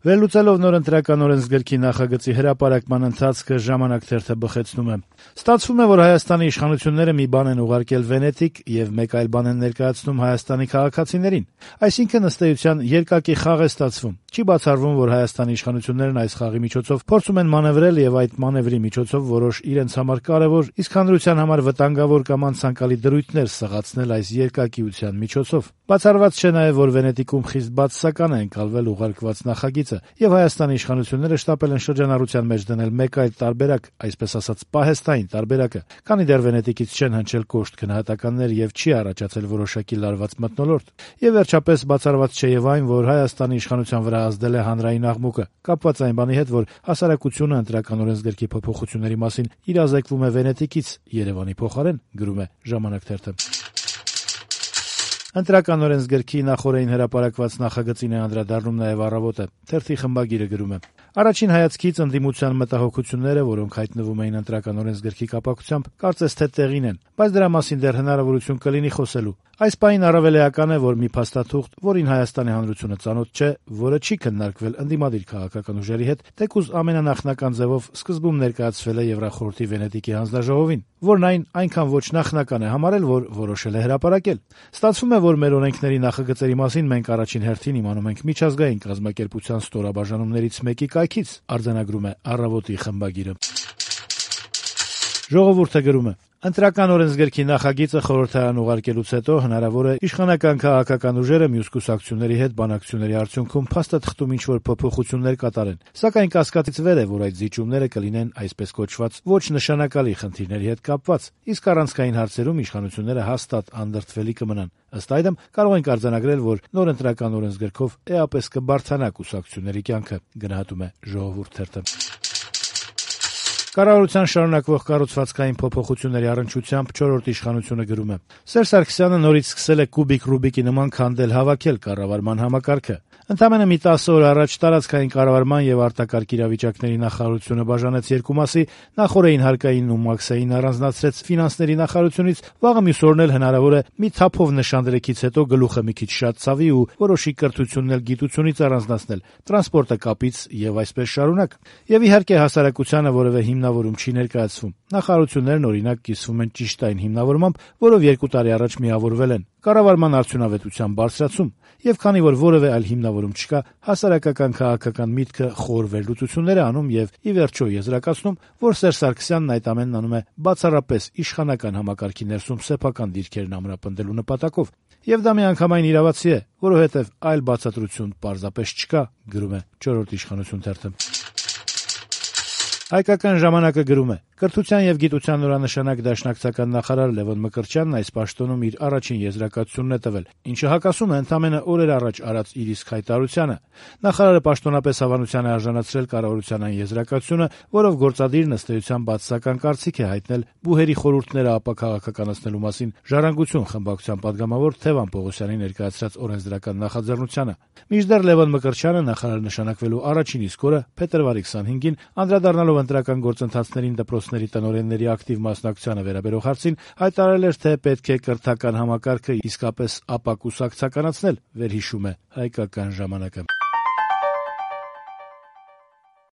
Վերլուծելով նոր ընտրական օրենսգրքի նախագծի հրապարակման ընթացքը «Ժամանակ» թերթը բխեցնում է. ստացվում է, որ Հայաստանի իշխանությունները մի բան են ուղարկել Վենետիկ եւ մեկ այլ բան են ներկայացնում Հայաստանի քաղաքացիներին։ Այսինքն, ըստ էության, երկակի խաղ է ստացվում։ Չի բացառվում, որ Հայաստանի իշխանություններն այս խաղի միջոցով փորձում են մանևրել եւ այդ մանևրի միջոցով որոշ իրենց համար կարեւոր, իսկ հանրության համար վտանգավոր կամ անցանկալի դրույթներ սղացնել այս երկակիության միջոցով։ Բացառված չէ նաեւ, որ Վենետիկում խիստ բացասական է ընկալվել ուղարկված նախագիծը, եւ Հայաստանի իշխանությունները շտապել են շրջանառության մեջ դնել մեկ այլ տարբերակ, այսպես ասած պահեստային տարբերակը, քանի դեռ Վենետիկից չեն հնչել կոշտ գնահատականներ եւ չի առաջացել որոշակի լարված մթնոլորտ։ Եվ վերջապես բացառված չէ եւ այն, որ Հայաստանի իշխանության վրա ազդել է հանրային աղմուկը, կապված այն բանի հետ, որ հասարակությունը ընտրական օրենսգրքի փոփոխությունների մասին իրազեկվում է Վենետիկից, Երևանի փոխարեն, գրում է «Ժամանակ» թերթը։ Ընտրական օրենսգրքի նախօրեին հրապարակված նախագծին է անդրադառնում նաև «Առավոտը»։ Թերթի խմբագիրը գրում է. Առաջին հայացքից ընդդիմության մտահոգությունները, որոնք հայտնվում էին ընտրական օրենսգրքի կապակցությամբ, կարծես թե տեղին են, բայց դրա մասին դեռ հնարավորություն կլինի խոսելու։ Այս պահին առավել էական է, որ մի փաստաթուղթ, որին Հայաստանի հանրությունը ծանոթ չէ, որը չի քննարկվել ընդդիմադիր քաղաքական ուժերի հետ, թեկուզ ամենանախնական ձևով սկզբում ներկայացվել է Եվրախորհրդի Վենետիկի հանձնաժողովին, որն այնքան ոչ նախնական է համարել, որ որոշել է հրապարակել։ Ստացվում է, որ մեր օրենքների նախագծերի մասին մենք առաջին հերթին իմանում ենք միջազգային կազմակերպության ստորաբաժանումներից մեկի կայքից, արձանագրում է «Առավոտի» խմբագիրը։ «Ժողովուրդ»-ը գրում է. Ընտրական օրենսգրքի նախագիծը խորհրդարան ուղարկելուց հետո հնարավոր է իշխանական քաղաքական ուժերը մյուս կուսակցությունների հետ բանակցությունների արդյունքում փաստաթղթում ինչ-որ փոփոխություններ կատարեն, սակայն կասկածից վեր է, որ այդ զիջումները կլինեն այսպես կոչված ոչ նշանակալի խնդիրների հետ կապված, իսկ առանցքային հարցերում իշխանությունները հաստատ անդրդվելի կմնան։ Ըստ այդմ, կարող ենք արձանագրել, որ նոր ընտրական օրենսգրքով էապես կբարձրանա կուսակցությունների կյանքը, գնահատում է «Ժողովուրդ» թերթը։ Կառավարության շարունակվող կառուցվածքային փոփոխությունների առնչությամբ չորրորդ իշխանությունը գրում է. Սերժ Սարգսյանը նորից սկսել է կուբիկ Ռուբիկի նման քանդել հավաքել կառավարման համակարգը։ Ընդամենը մի 10 օր առաջ տարածքային կառավարման եւ արտակարգ իրավիճակների նախարարությունը բաժանեց երկու մասի, նախորդին հարկային ու մաքսային առանձնացրեց ֆինանսների նախարարությունից, վաղը մյուս օրն էլ հնարավոր է մի թափով նշանդրեքից հետո գլուխը մի քիչ շատ ցավի ու որոշի կրթությունն էլ գիտությունից առանձնացնել, տրանսպորտը կապից եւ այսպես շարունակ։ Եվ իհարկե հասարակությանը որևէ հիմնավորում չի ներկայացվում։ Նախարարություններն օրինակ կիսվում են ճիշտ այն հիմնավորմամբ, որով 2 տարի առաջ միավորվել են։ Կառավարման արդյունավետության բարձրացում, եւ քանի որ որևէ այլ հիմնավորում չկա, հասարակական քաղաքական միտքը խոր վերլուծություններ է անում եւ ի վերջո եզրակացնում, որ Սերժ Սարգսյանն այդ ամենն անում է բացառապես իշխանական համակարգի ներսում սեփական դիրքերն ամրապնդելու նպատակով։ Եվ դա միանգամայն իրավացի է, որովհետեւ այլ բացատրություն պարզապես չկա, գրում է չորրորդ իշխանություն թերթը։ Հայկական ժամանակը գրում է. Կրթության եւ գիտության նորանշանակ դաշնակցական նախարար Լևոն Մկրտչյանն այս պաշտոնում իր առաջին եզրակացությունն է տվել, ինչը հակասում է ընդամենը օրեր առաջ արած իր իսկ հայտարարությանը։ Նախարարը պաշտոնապես հավանության է արժանացրել կառավարության այն եզրակացությունը, որով գործադիրն ըստ էության բացասական կարծիք է հայտնել բուհերի խորհուրդները ապաքաղաքականացնելու մասին Ժառանգություն խմբակցության պատգամավոր Թևան Պողոսյանի ներկայացրած օրենսդրական նախաձեռնությանը։ Մինչդեռ Լևոն Մկրտչյանը նախարար նշանակվելու առաջին իսկ օրը փետրվարի 25-ին անդրադառնալով ընտրական գործընթացներին դպրոցների տնօրենների ակտիվ մասնակցությանը վերաբերող հարցին հայտարարել էր, թե պետք է կրթական համակարգը իսկապես ապակուսակցականացնել, վերհիշում է Հայկական ժամանակը։